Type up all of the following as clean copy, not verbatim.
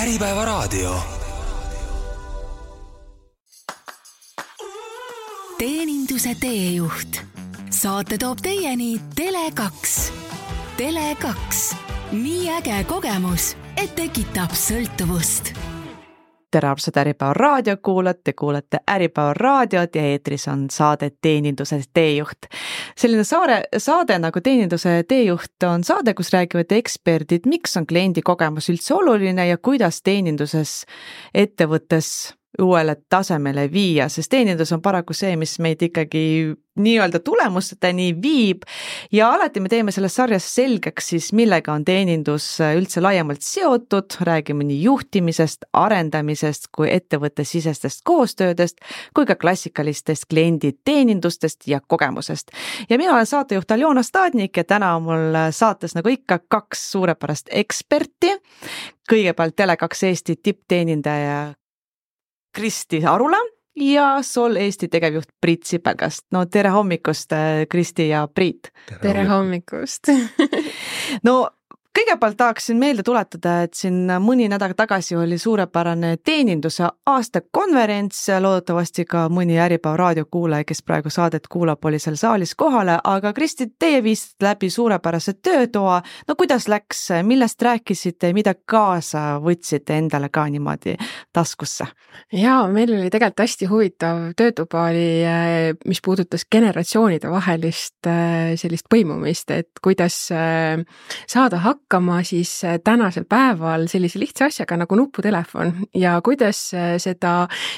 Äripäevaraadio. Teeninduse teejuht. Saate toob teieni Tele2. Tele2. Nii äge kogemus, et tekitab sõltuvust. Tere armsad Äripäeva raadio kuulate Äripäeva raadiot ja eetris on saade Teeninduse teejuht. Selline saade nagu Teeninduse teejuht on saade, kus räägivad eksperdid, miks on kliendi kogemus üldse oluline ja kuidas teeninduses ettevõttes uuele tasemele viia, sest teenindus on paraku see, mis meid ikkagi nii-öelda tulemusteni viib ja alati me teeme selles sarjas selgeks siis, millega on teenindus üldse laiemalt seotud, räägime nii juhtimisest, arendamisest kui ettevõttesisestest koostöödest kui ka klassikalistest klienditeenindustest ja kogemusest. Ja mina olen saatejuht Aljona Stadnik ja täna on mul saates nagu ikka 2 suurepärast eksperti. Kõigepealt Tele2 Eesti tippteenindaja Kristi Arula ja Sol Eesti tegevjuht Priit Sipelgast. No tere hommikust, Kristi ja Priit. Tere hommikust. No kõigepealt tahaksin meelde tuletada, et siin mõni nädal tagasi oli suurepärane teeninduse aastakonverents, loodetavasti ka mõni Äripäeva raadio kuulaja, kes praegu saadet kuulab, oli seal saalis kohale, aga Kristi, teie viisite läbi suurepärase töötoa. No kuidas läks, millest rääkisite, mida kaasa võtsite endale ka niimoodi taskusse? Jaa, meil oli tegelikult hästi huvitav töötuba oli, mis puudutas generatsioonide vahelist sellist põimumist, et kuidas saada hakkama siis tänasel päeval sellise lihtsa asjaga nagu nuputelefon ja kuidas seda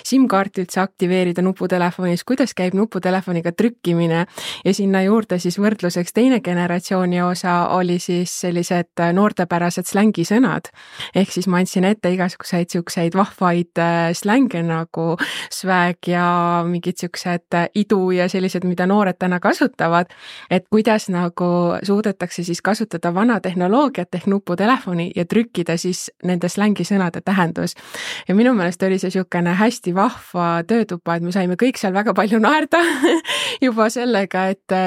SIM-kaarti üldse aktiveerida nuputelefonis, kuidas käib nuputelefoniga trükkimine ja sinna juurde siis võrdluseks teine generatsiooni osa oli siis sellised noortepärased slängisõnad. Ehk siis ma andsin ette igasuguseid siukseid vahvaid slänge nagu swag ja mingid siuksed idu ja sellised, mida noored täna kasutavad, et kuidas nagu suudetakse siis kasutada vana tehnoloogiat ehk nuputelefoni ja trükkida siis nende slängisõnade tähendus. Ja minu meelest oli see siukene hästi vahva töötuba, et me saime kõik seal väga palju naerda juba sellega, et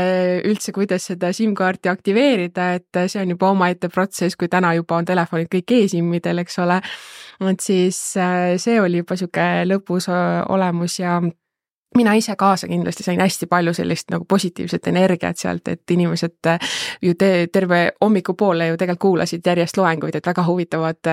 üldse kuidas seda SIM-kaarti aktiveerida, et see on juba omaette protsess, kui täna juba on telefonid kõik e-SIM-idel, eks ole. Et siis see oli juba siuke lõpus olemus ja mina ise kaasa kindlasti sain hästi palju sellist nagu positiivset energiat sealt, et inimesed ju terve hommikupoole ju tegelikult kuulasid järjest loenguid, et väga huvitavad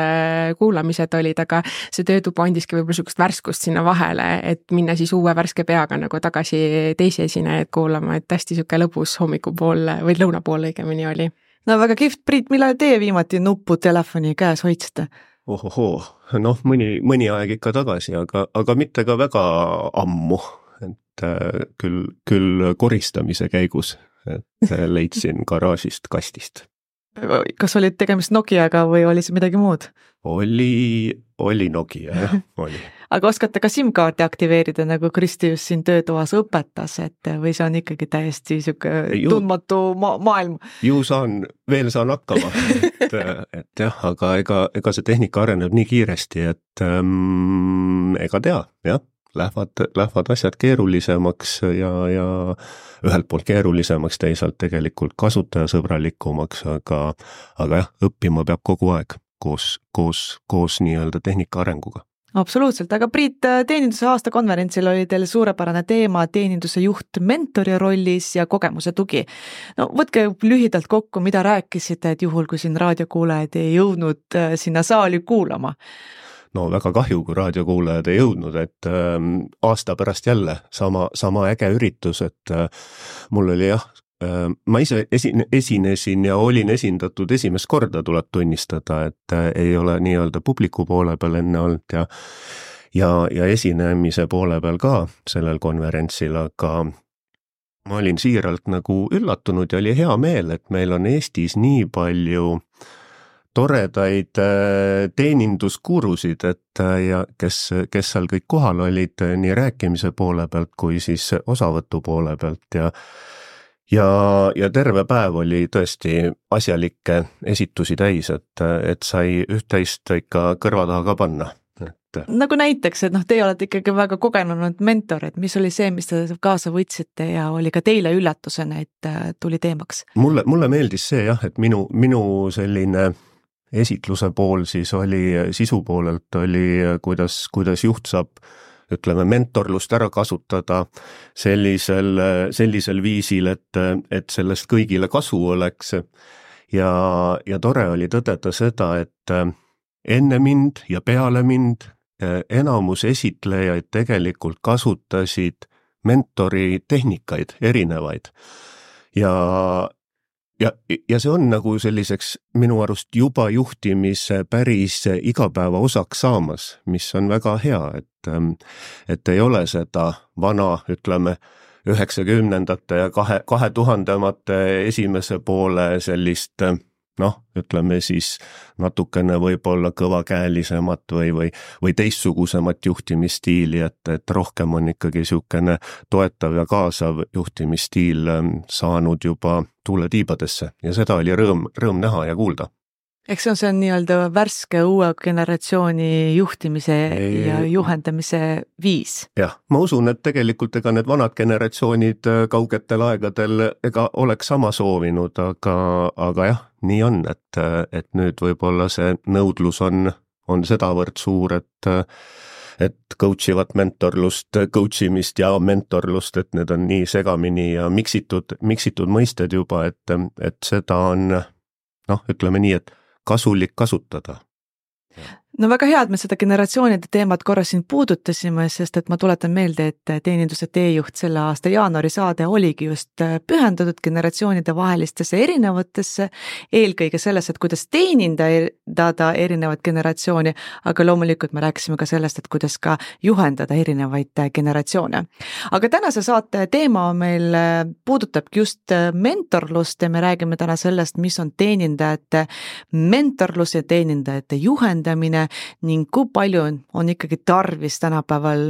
kuulamised olid, aga see töötuba andiski võib-olla sukust värskust sinna vahele, et minna siis uue värske peaga nagu tagasi teisi esinejaid kuulama, et hästi siuke lõbus hommikupool või lõunapool õigemini oli. No väga kihvt, Priit, millal teie viimati nuputelefoni käes hoidsite? Noh, mõni aeg ikka tagasi, aga mitte ka väga ammu. Et küll koristamise käigus, et leidsin garaažist kastist. Kas oli tegemist Nokiaga või oli see midagi muud? Oli Nokia, jah, oli. Aga oskate ka SIM-kaarti aktiveerida, nagu Kristi just siin töötoas õpetas, et või see on ikkagi täiesti siuke tundmatu maailm? Ju saan hakkama, et jah, aga ega see tehnika areneb nii kiiresti, et ega tea, jah. Lähevad asjad keerulisemaks ja ühelt poolt keerulisemaks, teisalt tegelikult kasutajasõbralikumaks, aga jah, õppima peab kogu aeg koos nii-öelda tehnika arenguga. Absoluutselt, aga Priit, teeninduse aastakonverentsil oli teil suurepärane teema teeninduse juht mentori rollis ja kogemuse tugi. No võtke lühidalt kokku, mida rääkisite, et juhul kui siin raadiokuulajad ei jõudnud sinna saali kuulama. No väga kahju, kui raadiokuulajad ei jõudnud, et aasta pärast jälle sama äge üritus, et mul oli jah, ma ise esinesin ja olin esindatud esimest korda, tuleb tunnistada, et ei ole nii-öelda publiku poole peal enne olnud ja esinemise poole peal ka sellel konverentsil, aga ma olin siiralt nagu üllatunud ja oli hea meel, et meil on Eestis nii palju toredaid teeninduskurusid, et ja kes seal kõik kohal olid nii rääkimise poole pealt kui siis osavõtu poole pealt ja terve päev oli tõesti asjalikke esitusi täis, et sai üht-teist ikka kõrva taha ka panna. Nagu näiteks, et teie olete ikkagi väga kogenud mentor, et mis oli see, mis te kaasa võtsite ja oli ka teile üllatusena, et tuli teemaks? Mulle meeldis see jah, et minu selline esitluse pool siis oli, sisu poolelt oli, kuidas juht saab, ütleme, mentorlust ära kasutada sellisel viisil, et sellest kõigile kasu oleks. Ja tore oli tõdeda seda, et enne mind ja peale mind enamus esitlejaid tegelikult kasutasid mentori tehnikaid erinevaid. Ja see on nagu selliseks minu arust juba juhtimise päris igapäeva osaks saamas, mis on väga hea, et ei ole seda vana, ütleme, 90ndate ja 2000-mate esimese poole sellist, ütleme siis natukene võib-olla kõvakäelisemat või teistsugusemat juhtimisstiili, et rohkem on ikkagi niisugune toetav ja kaasav juhtimisstiil saanud juba tuuletiibadesse ja seda oli rõõm näha ja kuulda. Eks see on nii-öelda värske uue generatsiooni juhtimise ja juhendamise viis. Jah, ma usun, et tegelikult ega need vanad generatsioonid kaugetel aegadel ega oleks sama soovinud, aga jah, nii on, et nüüd võib-olla see nõudlus on sedavõrd suur, et coachivat mentorlust, coachimist ja mentorlust, et need on nii segamini ja miksitud mõisted juba, et seda on, ütleme nii, et kasulik kasutada. No väga hea, et me seda generatsioonide teemat korra siin puudutasime, sest et ma tuletan meelde, et teeninduse teejuht selle aasta jaanuari saade oligi just pühendatud generatsioonide vahelistesse erinevatesse, eelkõige selles, et kuidas teenindada erinevat generatsiooni, aga loomulikult me rääkisime ka sellest, et kuidas ka juhendada erinevaid generatsioone. Aga tänase saate teema meil puudutabki just mentorlust ja me räägime täna sellest, mis on teenindajate mentorlus ja teenindajate juhendamine ning kui palju on ikkagi tarvis tänapäeval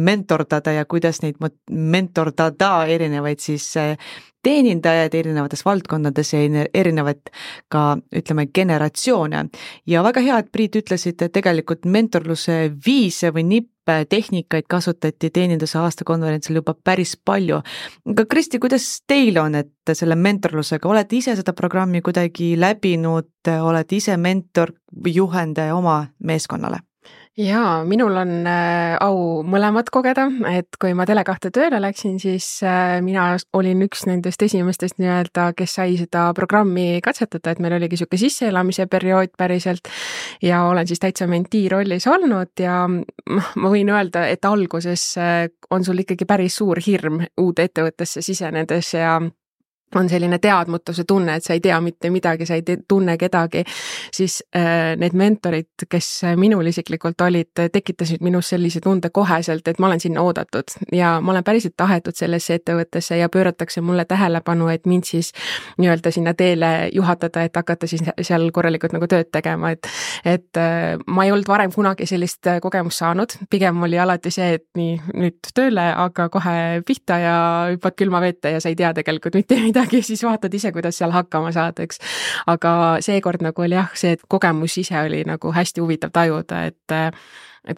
mentordada ja kuidas neid mentordada erinevaid siis teenindajaid erinevates valdkondades ja erinevaid ka, ütleme, generatsioone. Ja väga hea, et Priit ütlesid, et tegelikult mentorluse viise või nippe tehnikaid kasutati teeninduse aastakonverentsil juba päris palju. Aga Kristi, kuidas teil on, et selle mentorlusega, olete ise seda programmi kuidagi läbinud, olete ise mentor või juhendaja oma meeskonnale? Jaa, minul on au mõlemad kogeda, et kui ma Tele2 tööle läksin, siis mina olin üks nendest esimestest nii-öelda, kes sai seda programmi katsetada, et meil oligi niisugune sisseelamise periood päriselt ja olen siis täitsa mentii rollis olnud ja ma võin öelda, et alguses on sul ikkagi päris suur hirm uude ettevõttesse sisenedes ja on selline teadmatuse tunne, et sa ei tea mitte midagi, sa ei tunne kedagi, siis need mentorid, kes minul isiklikult olid, tekitasid minus sellise tunde koheselt, et ma olen sinna oodatud ja ma olen päriselt tahetud sellesse ettevõttesse ja pööratakse mulle tähelepanu, et mind siis nii-öelda sinna teele juhatada, et hakata siis seal korralikult nagu tööd tegema, et ma ei olnud varem kunagi sellist kogemust saanud, pigem oli alati see, et nii nüüd tööle, aga kohe pihta ja hüppad külma vette ja sa ei tea tegelikult mitte midagi, siis vaatad ise, kuidas seal hakkama saad, eks. Aga seekord nagu oli jah, see kogemus ise oli nagu hästi huvitav tajuda, et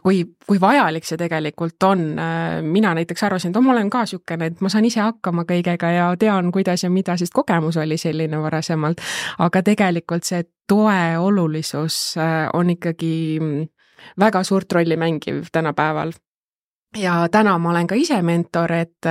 kui vajalik see tegelikult on. Mina näiteks arvasin, et ma olen ka niisugune, et ma saan ise hakkama kõigega ja tean, kuidas ja mida, sest kogemus oli selline varasemalt. Aga tegelikult see toe olulisus on ikkagi väga suurt rolli mängiv tänapäeval. Ja täna ma olen ka ise mentor, et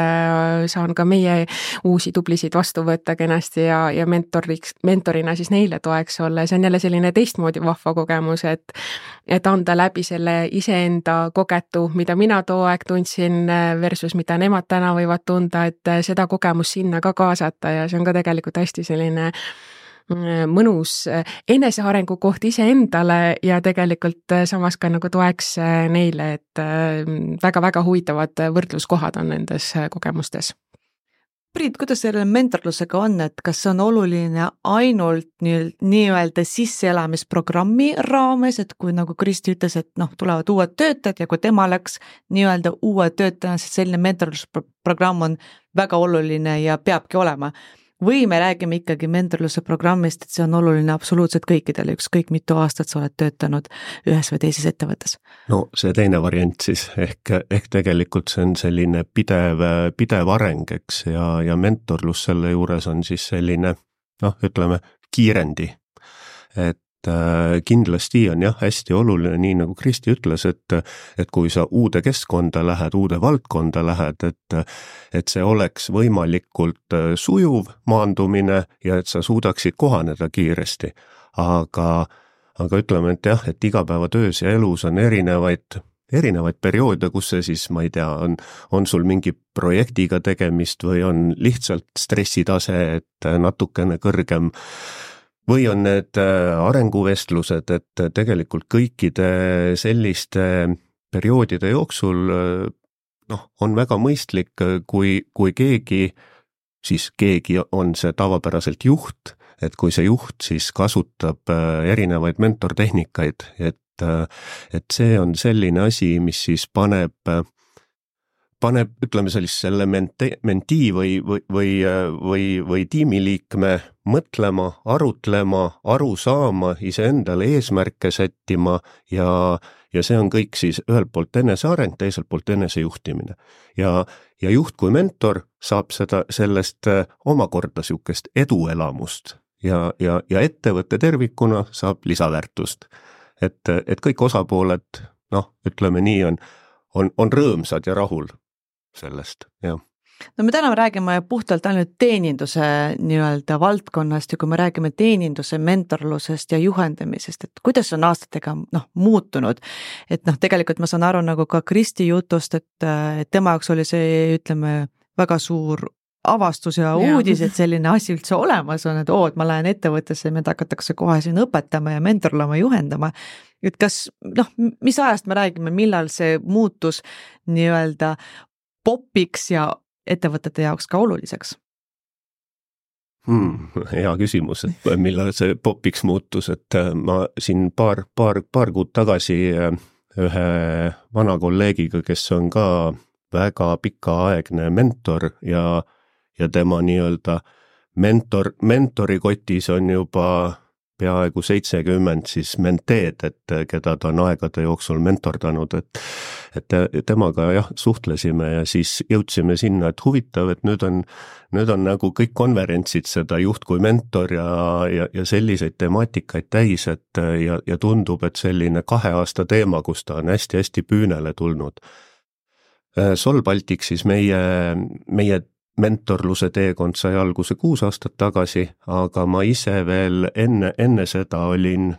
saan ka meie uusi tublisid vastu võtta kenasti ja mentorina siis neile toeks olla. See on jälle selline teistmoodi vahva kogemus, et anda läbi selle iseenda kogetu, mida mina too aeg tundsin versus mida nemad täna võivad tunda, et seda kogemus sinna ka kaasata ja see on ka tegelikult hästi selline mõnus enesearengu koht iseendale ja tegelikult samas ka nagu toeks neile, et väga-väga huvitavad võrdluskohad on nendes kogemustes. Priit, kuidas selle mentorlusega on, et kas see on oluline ainult nii-öelda sisseelamisprogrammi raames, et kui nagu Kristi ütles, et tulevad uued töötajad ja kui tema läks nii-öelda uue töötajana, siis selline mentorlusprogramm on väga oluline ja peabki olema. Või me räägime ikkagi mentorluse programmist, et see on oluline absoluutselt kõikidele, ükskõik mitu aastat sa oled töötanud ühes või teises ettevõttes? No see teine variant siis, ehk tegelikult see on selline pidev areng, eks, ja mentorlus selle juures on siis selline, ütleme, kiirendi. kindlasti on jah, hästi oluline, nii nagu Kristi ütles, et kui sa uude keskkonda lähed, uude valdkonda lähed, et see oleks võimalikult sujuv maandumine ja et sa suudaksid kohaneda kiiresti. Aga ütleme, et jah, et igapäevatöös ja elus on erinevaid perioode, kus see siis, ma ei tea, on sul mingi projektiga tegemist või on lihtsalt stressitase, et natukene kõrgem, või on need arenguvestlused, et tegelikult kõikide selliste perioodide jooksul on väga mõistlik, kui keegi on see tavapäraselt juht, et kui see juht siis kasutab erinevaid mentortehnikaid, et see on selline asi, mis siis paneb, ütleme selle mentii või tiimiliikme mõtlema, arutlema, aru saama, iseendale eesmärke sättima ja see on kõik siis ühelt poolt eneseareng, teiselt poolt enesejuhtimine. Ja juht kui mentor saab sellest omakorda sihukest eduelamust ja ettevõtte tervikuna saab lisaväärtust. Et kõik osapooled, ütleme nii, on rõõmsad ja rahul sellest, jah. No me täna räägime puhtalt ainult teeninduse nii-öelda valdkonnast ja kui me räägime teeninduse mentorlusest ja juhendamisest, et kuidas on aastatega muutunud, et tegelikult ma saan aru nagu ka Kristi jutust, et tema jaoks oli see, ütleme, väga suur avastus ja uudis, et selline asi üldse olemas on, et ma lähen ettevõttesse ja mind hakatakse kohe siin õpetama ja mentorlama, juhendama. Et kas, mis ajast me räägime, millal see muutus nii-öelda popiks ja ettevõtete jaoks ka oluliseks? Hea küsimus, et millal see popiks muutus, et ma siin paar kuud tagasi ühe vana kolleegiga, kes on ka väga pikaaegne mentor ja tema nii-öelda mentori kotis on juba peaaegu 70 siis menteed, et keda ta on aegade jooksul mentordanud, et temaga jah, suhtlesime ja siis jõudsime sinna, et huvitav, et nüüd on nagu kõik konverentsid seda juht kui mentor ja selliseid temaatikaid täis, et ja tundub, et selline 2 aasta teema, kus ta on hästi-hästi püünele tulnud. Sol Baltic siis meie mentorluse teekond sai alguse 6 aastat tagasi, aga ma ise veel enne seda olin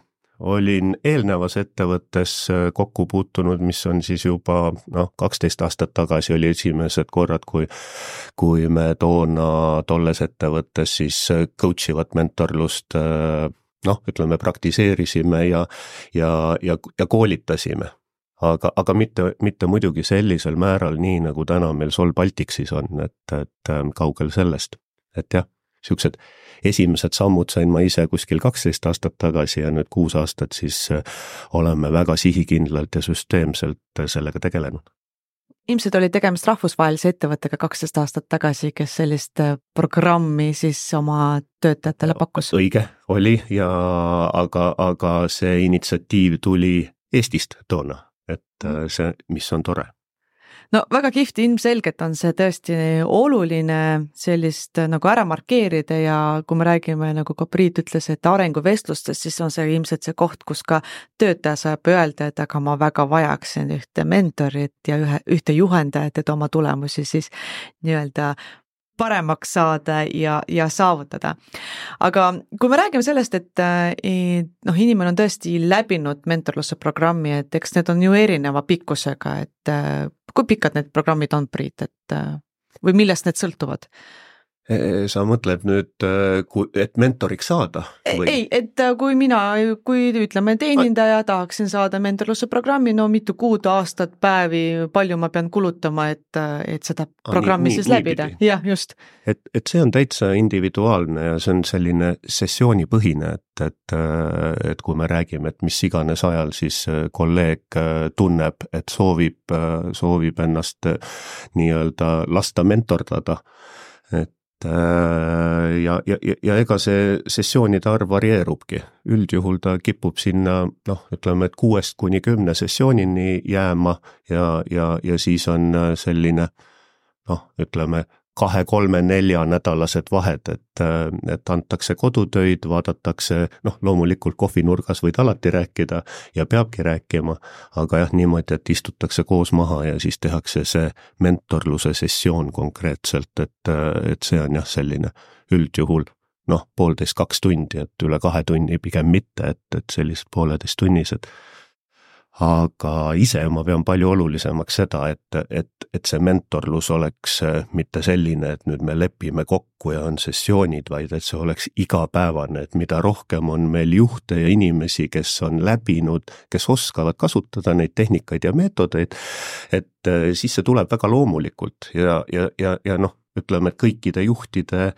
eelnevas ettevõttes kokku puutunud, mis on siis juba 12 aastat tagasi oli esimesed korrad, kui me tolles ettevõttes siis coach ivat mentorlust ütleme praktiseerisime ja koolitasime. Aga mitte muidugi sellisel määral nii, nagu täna meil Sol Balticsis on, et kaugel sellest. Et jah, siuksed esimesed sammud sain ma ise kuskil 12 aastat tagasi ja nüüd 6 aastat siis oleme väga sihikindlalt ja süsteemselt sellega tegelenud. Ilmselt oli tegemist rahvusvahelise ettevõttega 12 aastat tagasi, kes sellist programmi siis oma töötajatele pakkus. Õige oli, aga see initsiatiiv tuli Eestist toona. Et see, mis on tore. No väga kihvt, ilmselgelt on see tõesti oluline sellist nagu ära markeerida ja kui me räägime, nagu ka Priit ütles, et arenguvestlustes, siis on see ilmselt see koht, kus ka töötaja saab öelda, et aga ma väga vajaksin ühte mentorit ja ühte juhendajat, et oma tulemusi siis nii-öelda paremaks saada ja saavutada. Aga kui me räägime sellest, et inimene on tõesti läbinud mentorluse programmi, et eks need on ju erineva pikkusega, et kui pikad need programmid on, Priit, või millest need sõltuvad? Sa mõtled nüüd, et mentoriks saada? Või? Ei, et kui ütleme teenindaja, tahaksin saada mentorluse programmi, mitu kuud, aastat, päevi, palju ma pean kulutama, et seda programmi siis läbida. Jah, just. Et see on täitsa individuaalne ja see on selline sessioonipõhine, et kui me räägime, et mis iganes ajal siis kolleeg tunneb, et soovib ennast nii-öelda lasta mentordada, ja ega see sessioonide arv varieerubki. Üldjuhul ta kipub sinna, ütleme, et 6 kuni 10 sessioonini jääma ja siis on selline, ütleme, 2-3-4 nädalased vahed, et antakse kodutöid, vaadatakse, loomulikult kohvinurgas võid alati rääkida ja peabki rääkima, aga jah, niimoodi, et istutakse koos maha ja siis tehakse see mentorluse sessioon konkreetselt, et see on jah selline üldjuhul 1,5-2 tundi, et üle 2 tunni pigem mitte, et sellised 1,5 tunnised. Aga ise ma pean palju olulisemaks seda, et see mentorlus oleks mitte selline, et nüüd me lepime kokku ja on sessioonid, vaid et see oleks igapäevane, et mida rohkem on meil juhte ja inimesi, kes on läbinud, kes oskavad kasutada neid tehnikaid ja meetodeid, et siis see tuleb väga loomulikult ja ütleme, et kõikide juhtide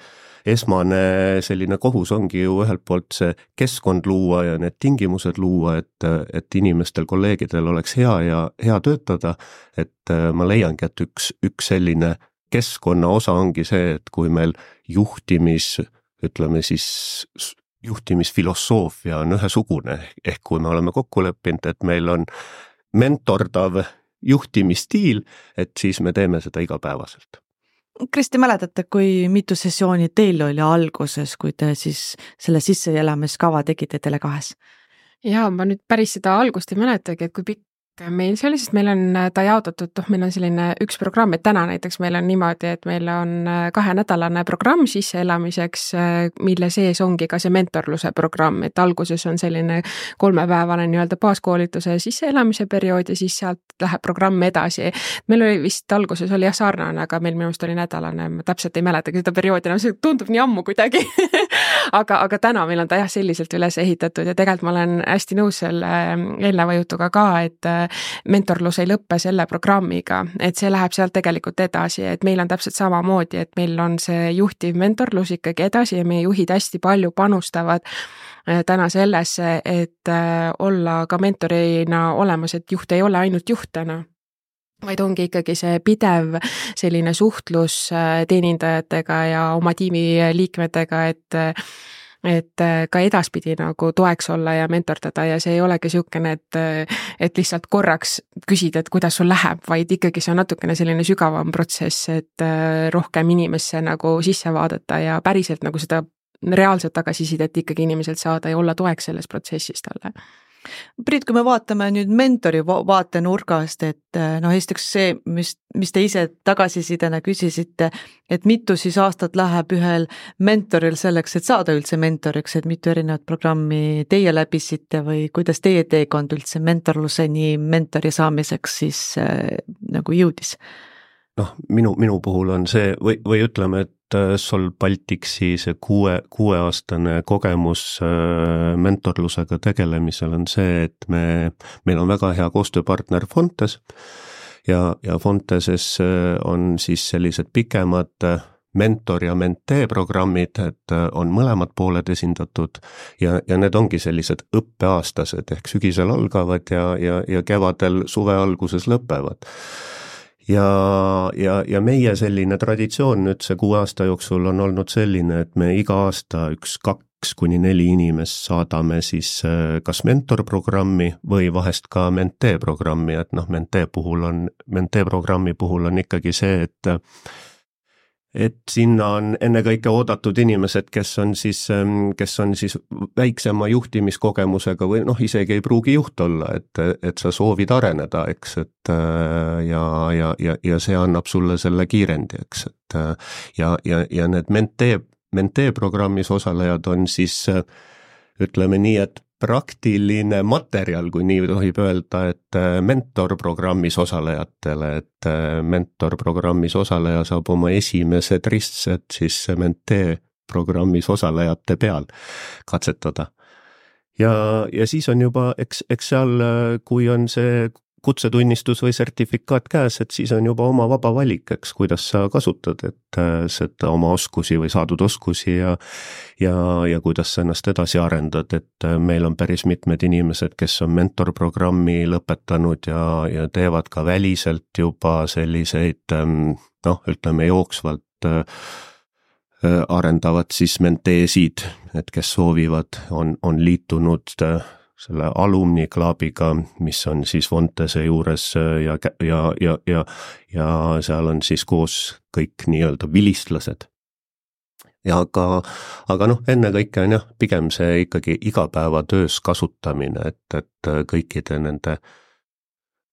esmane selline kohus ongi ju ühelt poolt see keskkond luua ja need tingimused luua, et inimestel, kolleegidel oleks hea töötada, et ma leiangi, et üks selline keskkonna osa ongi see, et kui meil juhtimisfilosoofia on ühesugune, ehk kui me oleme kokku leppinud, et meil on mentordav juhtimisstiil, et siis me teeme seda igapäevaselt. Kristi, mäletate, kui mitu sessiooni teil oli alguses, kui te siis selle sisseelamiskava tegite Tele2-s? Jaa, ma nüüd päris seda algust ei mäletagi, et kui pikk meil see oli, sest meil on ta jaotatud, meil on selline üks programm, et täna näiteks meil on niimoodi, et meil on 2-nädalane programm sisseelamiseks, mille sees ongi ka see mentorluse programm, et alguses on selline 3-päevane nii-öelda baaskoolituse sisseelamise periood ja siis sealt läheb programm edasi. Meil oli vist alguses oli jah sarnane, aga meil minu arust oli nädalane, ma täpselt ei mäletagi seda perioodi, see tundub nii ammu kuidagi. aga täna meil on ta jah selliselt üles ehitatud ja tegelikult ma olen hästi nõus selle eelneva jutuga ka, et mentorlus ei lõppe selle programmiga, et see läheb sealt tegelikult edasi, et meil on täpselt samamoodi, et meil on see juhtiv mentorlus ikkagi edasi ja meie juhid hästi palju panustavad täna sellesse, et olla ka mentorina olemas, et juht ei ole ainult juht täna, vaid ongi ikkagi see pidev selline suhtlus teenindajatega ja oma tiimi liikmetega, et ka edaspidi nagu toeks olla ja mentordada ja see ei olegi niisugune, et lihtsalt korraks küsida, et kuidas sul läheb, vaid ikkagi see on natukene selline sügavam protsess, et rohkem inimesse nagu sisse vaadata ja päriselt nagu seda reaalset tagasisidet ikkagi inimeselt saada ja olla toeks selles protsessis talle. Priit, kui me vaatame nüüd mentori vaatenurgast, et esiteks see, mis te ise tagasisidena küsisite, et mitu siis aastat läheb ühel mentoril selleks, et saada üldse mentoriks, et mitu erinevat programmi teie läbisite või kuidas teie teekond üldse mentorluseni mentori saamiseks siis nagu jõudis? Minu puhul on see, või ütleme, et Sol Baltiksi see 6-aastane kogemus mentorlusega tegelemisel on see, et meil on väga hea koostööpartner Fontes ja Fonteses on siis sellised pikemad mentor- ja mentee programmid, et on mõlemad pooled esindatud ja need ongi sellised õppeaastased ehk sügisel algavad ja kevadel suve alguses lõpevad. Ja meie selline traditsioon nüüd see 6 aasta jooksul on olnud selline, et me iga aasta 2-4 inimest saadame siis kas mentorprogrammi või vahest ka mentee programmi, et mentee programmi puhul on ikkagi see, et sinna on ennekõike oodatud inimesed, kes on siis väiksema juhtimiskogemusega või isegi ei pruugi juht olla, et sa soovid areneda, eks, et ja see annab sulle selle kiirendi, eks, et ja need mentee programmis osalejad on siis ütleme nii, et praktiline materjal, kui nii tohib öelda, et mentorprogrammis osalejatele, et mentorprogrammis osaleja saab oma esimesed ristsed siis mentee programmis osalejate peal katsetada. Ja siis on juba, eks seal, kui on see kutsetunnistus või sertifikaat käes, et siis on juba oma vaba valik, eks, kuidas sa kasutad, et seda oma oskusi või saadud oskusi ja kuidas sa ennast edasi arendad, et meil on päris mitmed inimesed, kes on mentorprogrammi lõpetanud ja teevad ka väliselt juba selliseid, ütleme jooksvalt arendavad siis menteesid, et kes soovivad, on liitunud selle Alumni Clubiga, mis on siis Fontese juures ja seal on siis koos kõik nii-öelda vilistlased. Ja aga noh, ennekõike on jah, pigem see ikkagi igapäevatöös kasutamine, et kõikide nende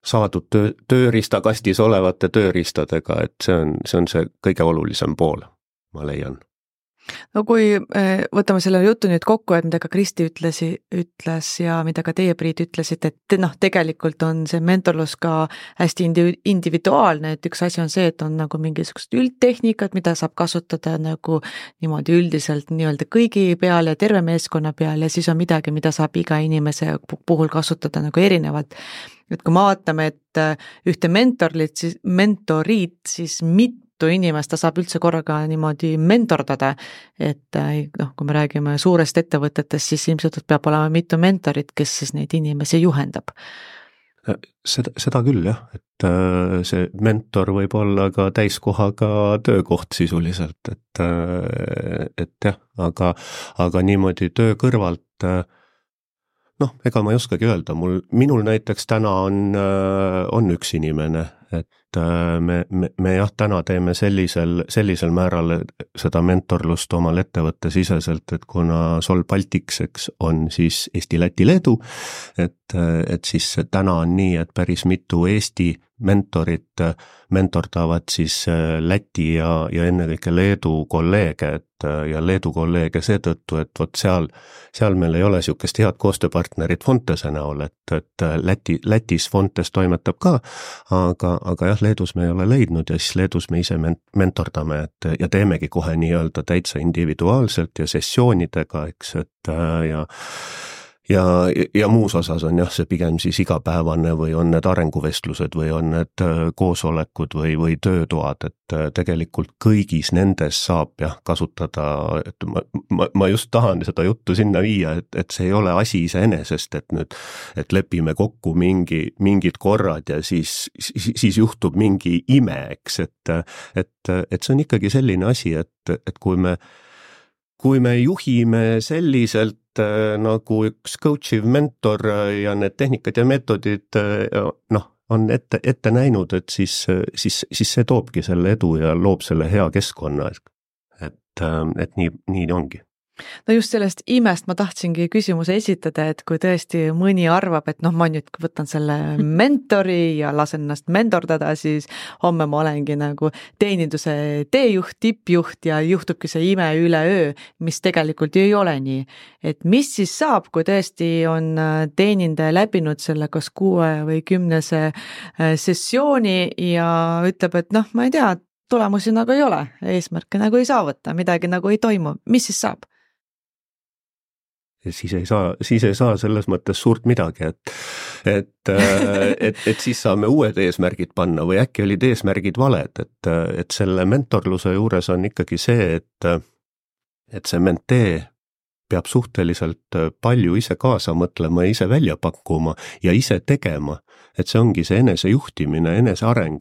saadud tööriistakastis olevate tööriistadega, et see on see kõige olulisem pool, ma leian. No kui võtame selle jutu nüüd kokku, et mida ka Kristi ütles ja mida ka teie, Priit, ütlesite, et noh, tegelikult on see mentorlus ka hästi individuaalne, et üks asi on see, et on nagu mingisugused üldtehnikad, mida saab kasutada nagu niimoodi üldiselt nii-öelda kõigi peal ja terve meeskonna peal ja siis on midagi, mida saab iga inimese puhul kasutada nagu erinevalt. Et kui me vaatame, et ühte mentorit, siis mitu inimest ta saab üldse korraga niimoodi mentordada, et noh, kui me räägime suurest ettevõtetest, siis ilmselt peab olema mitu mentorit, kes siis neid inimesi juhendab. Seda küll jah, et see mentor võib olla ka täiskohaga töökoht sisuliselt, et jah, aga niimoodi töö kõrvalt noh, ega ma ei oskagi öelda, minul näiteks täna on üks inimene, et me jah, täna teeme sellisel määral seda mentorlust omal ettevõtte siseselt, et kuna Sol Baltics, eks, on siis Eesti, Läti, Leedu, et siis täna on nii, et päris mitu Eesti mentorit mentordavad siis Läti ja ennekõike Leedu kolleege, ja Leedu kolleege seetõttu, et vot seal meil ei ole niisugust head koostööpartnerit Fontese näol, et Lätis Fontes toimetab ka, aga jah, Leedus me ei ole leidnud ja siis Leedus me ise mentordame, ja teemegi kohe nii-öelda täitsa individuaalselt ja sessioonidega, eks, et ja muus osas on jah, see pigem siis igapäevane või on need arenguvestlused või on need koosolekud või töötoad, et tegelikult kõigis nendes saab jah kasutada, et ma just tahan seda juttu sinna viia, et see ei ole asi iseenesest, et lepime kokku mingid korrad ja siis juhtub mingi ime, eks, et see on ikkagi selline asi, et kui me juhime selliselt nagu üks coachiv mentor ja need tehnikad ja meetodid noh, on ette näinud, et siis see toobki selle edu ja loob selle hea keskkonna, et nii ongi. No just sellest imest ma tahtsingi küsimuse esitada, et kui tõesti mõni arvab, et noh, ma nüüd võtan selle mentori ja lasen ennast mentordada, siis homme ma olengi nagu teeninduse teejuht, tippjuht ja juhtubki see ime üleöö, mis tegelikult ju ei ole nii. Et mis siis saab, kui tõesti on teenindaja läbinud selle kas 6 või 10 sessiooni ja ütleb, et noh, ma ei tea, tulemusi nagu ei ole, eesmärke nagu ei saavuta, midagi nagu ei toimu, mis siis saab? Siis ei saa selles mõttes suurt midagi, et siis saame uued eesmärgid panna või äkki olid eesmärgid valed, et selle mentorluse juures on ikkagi see, et see mentee peab suhteliselt palju ise kaasa mõtlema, ise välja pakkuma ja ise tegema, et see ongi see enesejuhtimine, eneseareng,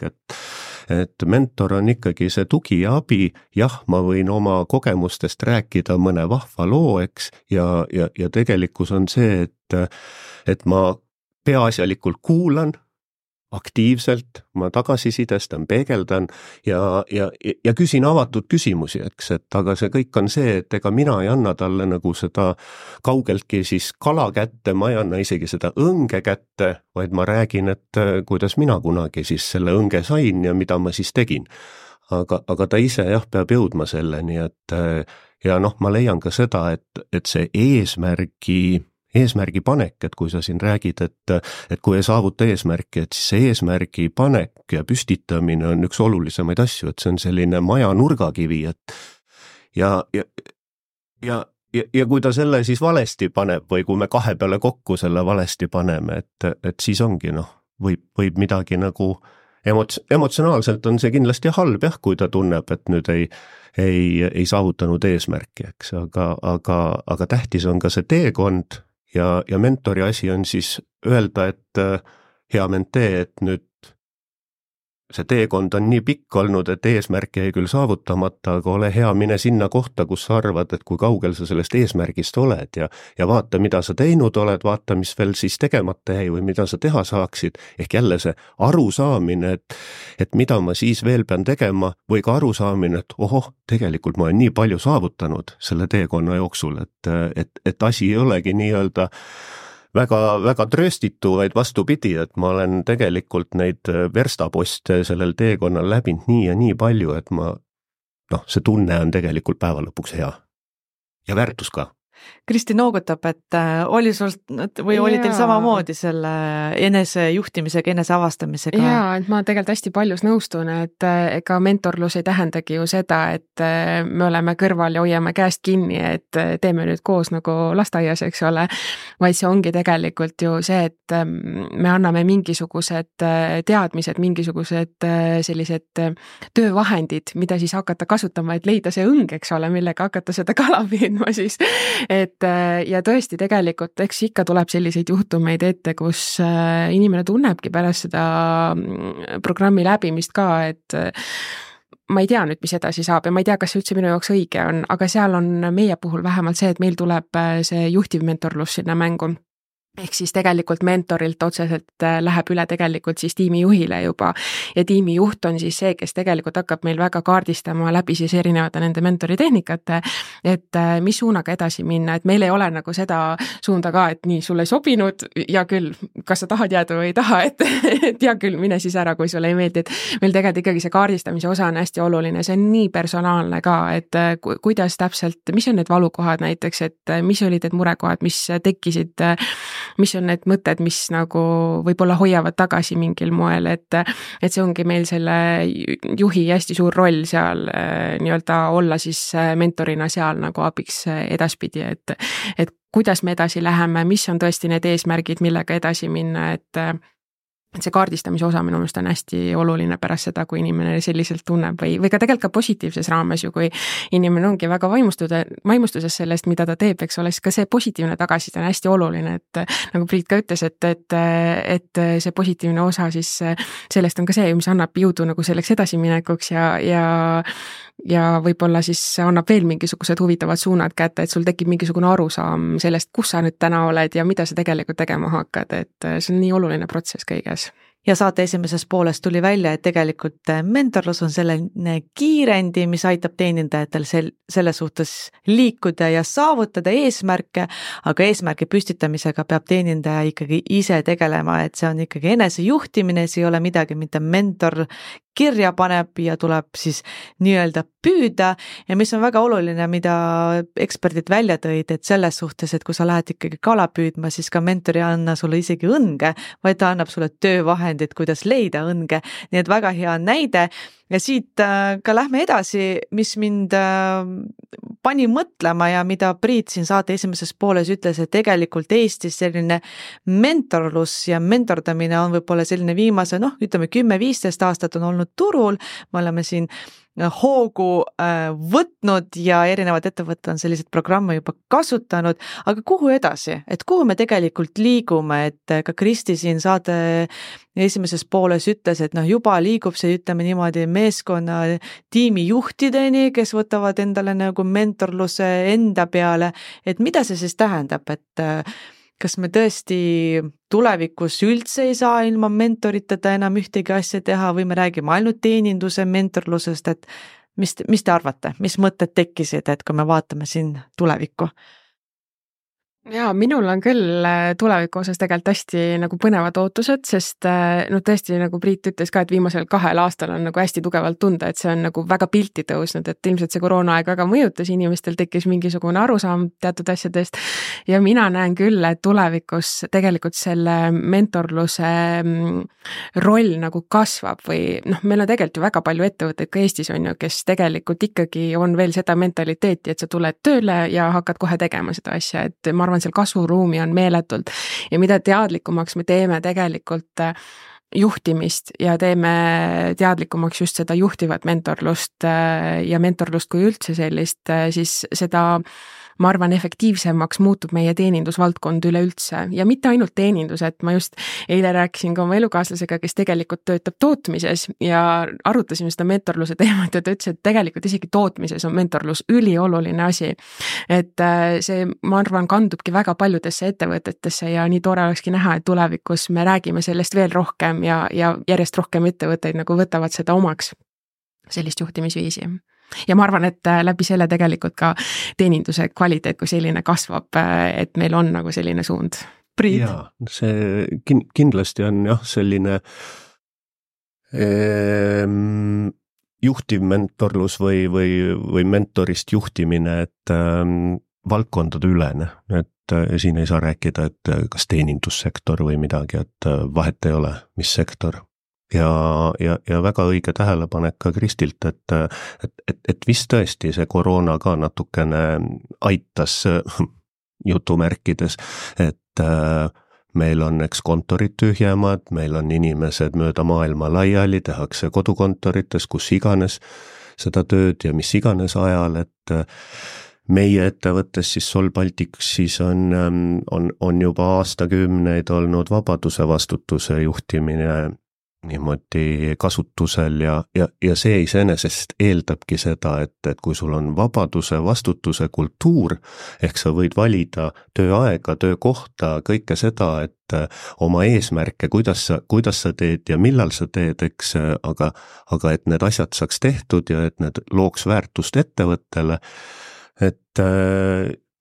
et mentor on ikkagi see tugi ja abi, jah, ma võin oma kogemustest rääkida mõne vahva loo, eks, ja tegelikkus on see, et ma peaasjalikult kuulan aktiivselt, ma tagasisidestan, peegeldan ja küsin avatud küsimusi, eks, et aga see kõik on see, et ega mina ei anna talle nagu seda kaugeltki siis kala kätte, ma ei anna isegi seda õnge kätte, vaid ma räägin, et kuidas mina kunagi siis selle õnge sain ja mida ma siis tegin. Aga ta ise jah, peab jõudma selleni, et ja noh, ma leian ka seda, et see eesmärgi panek, et kui sa siin räägid, et kui ei saavuta eesmärki, et siis see eesmärgi panek ja püstitamine on üks olulisemaid asju, et see on selline maja nurgakivi, et ja kui ta selle siis valesti paneb või kui me 2 peale kokku selle valesti paneme, et siis ongi noh, võib midagi nagu emotsionaalselt on see kindlasti halb jah, kui ta tunneb, et nüüd ei saavutanud eesmärki, eks, aga tähtis on ka see teekond ja mentori asi on siis öelda, et hea mentee, et nüüd see teekond on nii pikk olnud, et eesmärk jäi küll saavutamata, aga ole hea, mine sinna kohta, kus sa arvad, et kui kaugel sa sellest eesmärgist oled ja vaata, mida sa teinud oled, vaata, mis veel siis tegemata jäi või mida sa teha saaksid, ehk jälle see arusaamine, et mida ma siis veel pean tegema või ka arusaamine, et ohoh, tegelikult ma olen nii palju saavutanud selle teekonna jooksul, et asi ei olegi nii-öelda väga trööstitu, vaid vastupidi, et ma olen tegelikult neid verstaposte sellel teekonnal läbinud nii ja nii palju, et see tunne on tegelikult päeva lõpuks hea ja väärtus ka. Kristi noogutab, et oli sul või oli teil samamoodi selle enesejuhtimisega, eneseavastamisega? Jaa, et ma tegelikult hästi paljus nõustun, et ega mentorlus ei tähendagi ju seda, et me oleme kõrval ja hoiame käest kinni, et teeme nüüd koos nagu lasteaias, eks ole, vaid see ongi tegelikult ju see, et me anname mingisugused teadmised, mingisugused sellised töövahendid, mida siis hakata kasutama, et leida see õng, eks ole, millega hakata seda kala püüdma siis. Ja tõesti tegelikult, eks ikka tuleb selliseid juhtumeid ette, kus inimene tunnebki pärast seda programmi läbimist ka, et ma ei tea nüüd, mis edasi saab ja ma ei tea, kas see üldse minu jaoks õige on, aga seal on meie puhul vähemalt see, et meil tuleb see juhtivmentorlus sinna mängu. Ehk siis tegelikult mentorilt otseselt läheb üle tegelikult siis tiimijuhile juba ja tiimijuht on siis see, kes tegelikult hakkab meil väga kaardistama läbi siis erinevate nende mentoritehnikate, et mis suunaga edasi minna, et meil ei ole nagu seda suunda ka, et nii, sulle ei sobinud ja küll, kas sa tahad jääda või ei taha, et ja küll, mine siis ära, kui sulle ei meeldi, et meil tegelikult ikkagi see kaardistamise osa on hästi oluline, see on nii personaalne ka, et kuidas täpselt, mis on need valukohad näiteks, et mis olid need murekohad, mis tekkisid, mis on need mõtted, mis nagu võib-olla hoiavad tagasi mingil moel, et see ongi meil selle juhi hästi suur roll seal nii-öelda olla siis mentorina seal nagu abiks edaspidi, et kuidas me edasi läheme, mis on tõesti need eesmärgid, millega edasi minna, et see kaardistamise osa minu meelest on hästi oluline pärast seda, kui inimene selliselt tunneb või ka tegelikult ka positiivses raames ju, kui inimene ongi väga vaimustuses sellest, mida ta teeb, eks ole, siis ka see positiivne tagasiside on hästi oluline, et nagu Priit ka ütles, et see positiivne osa siis sellest on ka see, mis annab jõudu nagu selleks edasiminekuks ja võib-olla siis annab veel mingisugused huvitavad suunad kätte, et sul tekib mingisugune arusaam sellest, kus sa nüüd täna oled ja mida sa tegelikult tegema hakkad, et see on nii oluline protsess kõiges. Ja saate esimeses pooles tuli välja, et tegelikult mentorlus on selline kiirendi, mis aitab teenindajatel selle suhtes liikuda ja saavutada eesmärke, aga eesmärgi püstitamisega peab teenindaja ikkagi ise tegelema, et see on ikkagi enesejuhtimine, see ei ole midagi, mida mentor kirja paneb ja tuleb siis nii-öelda püüda ja mis on väga oluline, mida eksperdid välja tõid, et selles suhtes, et kui sa lähed ikkagi kala püüdma, siis ka mentor ei anna sulle isegi õnge, vaid ta annab sulle töövahendid, kuidas leida õnge, nii et väga hea näide ja siit ka lähme edasi, mis mind pani mõtlema ja mida Priit siin saate esimeses pooles ütles, et tegelikult Eestis selline mentorlus ja mentordamine on võib-olla selline viimase, ütleme 10-15 aastat on olnud turul, me oleme siin hoogu võtnud ja erinevad ettevõtted on selliseid programme juba kasutanud, aga kuhu edasi, et kuhu me tegelikult liigume, et ka Kristi siin saate esimeses pooles ütles, et juba liigub see, ütleme niimoodi, meeskonna tiimijuhtideni, kes võtavad endale nagu mentorluse enda peale, et mida see siis tähendab, et kas me tõesti tulevikus üldse ei saa ilma mentoriteta enam ühtegi asja teha või me räägime ainult teeninduse mentorlusest, et mis te arvate, mis mõtted tekkisid, et kui me vaatame siin tulevikku? Jaa, minul on küll tuleviku osas tegelikult hästi nagu põnevad ootused, sest tõesti nagu Priit ütles ka, et viimasel 2 aastal on nagu hästi tugevalt tunda, et see on nagu väga pilti tõusnud, et ilmselt see koroonaaeg väga mõjutas, inimestel tekkis mingisugune arusaam teatud asjadest ja mina näen küll, et tulevikus tegelikult selle mentorluse roll nagu kasvab või meil on tegelikult ju väga palju ettevõtteid ka Eestis on ju, kes tegelikult ikkagi on veel seda mentaliteeti, et sa tuled tööle ja hakkad kohe tegema seda asja, et ma arvan, seal kasvuruumi on meeletult ja mida teadlikumaks me teeme tegelikult juhtimist ja teeme teadlikumaks just seda juhtivat mentorlust ja mentorlust kui üldse sellist, siis seda ma arvan, efektiivsemaks muutub meie teenindusvaldkond üleüldse ja mitte ainult teenindus, et ma just eile rääkisin ka oma elukaaslasega, kes tegelikult töötab tootmises ja arutasime seda mentorluse teemat ja ta ütles, et tegelikult isegi tootmises on mentorlus ülioluline asi. Et see, ma arvan, kandubki väga paljudesse ettevõtetesse ja nii tore olekski näha, et tulevikus me räägime sellest veel rohkem ja järjest rohkem ettevõtteid nagu võtavad seda omaks, sellist juhtimisviisi. Ja ma arvan, et läbi selle tegelikult ka teeninduse kvaliteet kui selline kasvab, et meil on nagu selline suund. Priit? Jaa, see kindlasti on jah, selline juhtivmentorlus või mentorist juhtimine, et valdkondade ülene, et siin ei saa rääkida, et kas teenindussektor või midagi, et vahet ei ole, mis sektor. Ja väga õige tähelepanek ka Kristilt, et vist tõesti see koroona ka natukene aitas jutumärkides, et meil on eks kontorid tühjemad, meil on inimesed mööda maailma laiali, tehakse kodukontorites, kus iganes seda tööd ja mis iganes ajal, et meie ettevõttes siis Sol Baltic siis on juba aastakümneid olnud vabaduse vastutuse juhtimine niimoodi kasutusel ja see iseenesest eeldabki seda, et kui sul on vabaduse vastutuse kultuur, ehk sa võid valida tööaega, töökohta, kõike seda, et oma eesmärke, kuidas sa teed ja millal sa teed, eks, aga et need asjad saaks tehtud ja et need looks väärtust ettevõttele, et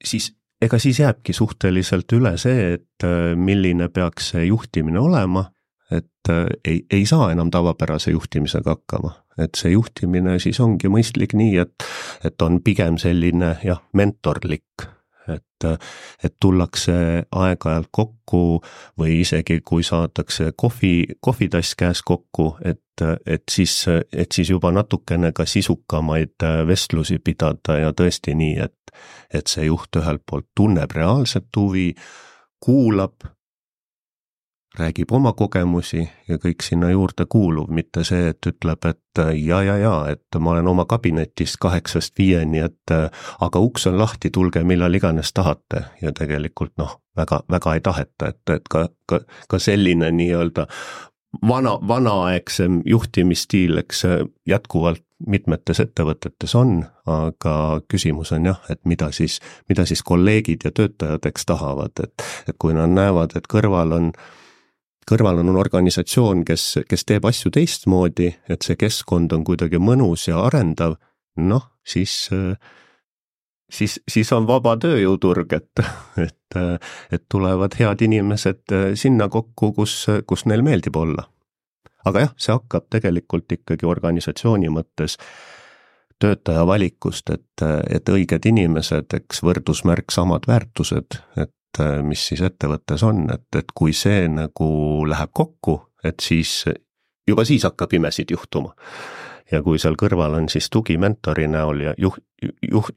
siis jääbki suhteliselt üle see, et milline peaks see juhtimine olema, et ei saa enam tavapärase juhtimisega hakkama. Et see juhtimine siis ongi mõistlik nii, et on pigem selline mentorlik, et tullakse aeg-ajalt kokku või isegi kui saadakse kohvitass käes kokku, et siis juba natukene ka sisukamaid vestlusi pidada ja tõesti nii, et see juht ühelt poolt tunneb reaalset huvi, kuulab, räägib oma kogemusi ja kõik sinna juurde kuuluv, mitte see, et ütleb, et et ma olen oma kabinetis 8-5, et aga uks on lahti, tulge millal iganes tahate ja tegelikult väga ei taheta, et ka selline nii-öelda vanaaegsem juhtimisstiil, eks jätkuvalt mitmetes ettevõtetes on, aga küsimus on jah, et mida siis kolleegid ja töötajad eks tahavad, et kui nad näevad, et kõrval on organisatsioon, kes teeb asju teistmoodi, et see keskkond on kuidagi mõnus ja arendav, siis on vaba tööjõuturg, et tulevad head inimesed sinna kokku, kus neil meeldib olla. Aga jah, see hakkab tegelikult ikkagi organisatsiooni mõttes töötaja valikust, et õiged inimesed, eks võrdusmärk samad väärtused, et mis siis ettevõttes on, et kui see nagu läheb kokku, et siis hakkab imesid juhtuma. Ja kui seal kõrval on siis tugi mentori näol ja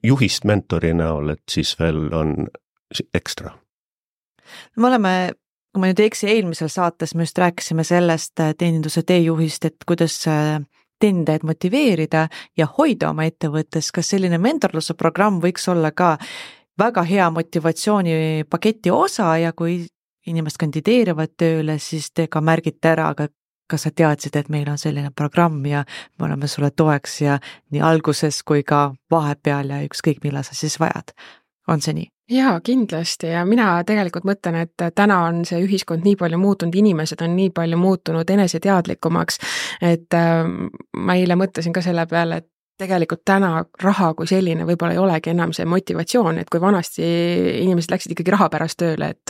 juhist mentori näol, et siis veel on ekstra. Me oleme, kui ma nüüd eksi, eelmisel saates me just rääkisime sellest teeninduse teejuhist, et kuidas teenindajaid motiveerida ja hoida oma ettevõttes, kas selline mentorluse programm võiks olla ka väga hea motivatsioonipaketi osa ja kui inimesed kandideerivad tööle, siis te ka märgite ära, aga kas sa teadsid, et meil on selline programm ja me oleme sulle toeks ja nii alguses kui ka vahepeal ja ükskõik millal sa siis vajad. On see nii? Jaa, kindlasti ja mina tegelikult mõtlen, et täna on see ühiskond nii palju muutunud, inimesed on nii palju muutunud eneseteadlikumaks, et ma eile mõtlesin ka selle peale, et tegelikult täna raha kui selline võib-olla ei olegi enam see motivatsioon, et kui vanasti inimesed läksid ikkagi raha pärast tööle, et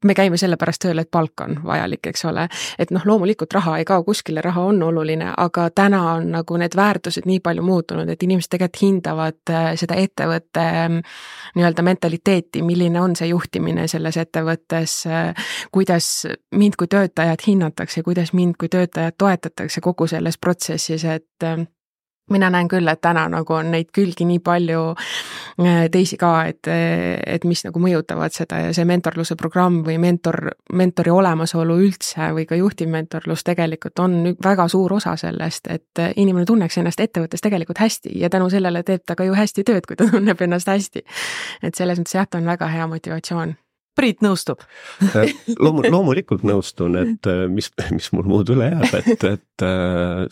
me käime selle pärast tööle, et palk on vajalik, eks ole. Et loomulikult raha ei kao kuskile, raha on oluline, aga täna on nagu need väärtused nii palju muutunud, et inimesed tegelikult hindavad seda ettevõtte nii-öelda mentaliteeti, milline on see juhtimine selles ettevõttes, kuidas mind kui töötajat hinnatakse, kuidas mind kui töötajat toetatakse kogu selles protsessis, et mina näen küll, et täna nagu on neid külgi nii palju teisi ka, et mis nagu mõjutavad seda ja see mentorluse programm või mentori olemasolu üldse või ka juhtivmentorlus tegelikult on väga suur osa sellest, et inimene tunneks ennast ettevõttes tegelikult hästi ja tänu sellele teeb ta ka ju hästi tööd, kui ta tunneb ennast hästi. Et selles mõttes jah, ta on väga hea motivatsioon. Priit nõustub. Loomulikult nõustun, et mis mul muud üle jääb, et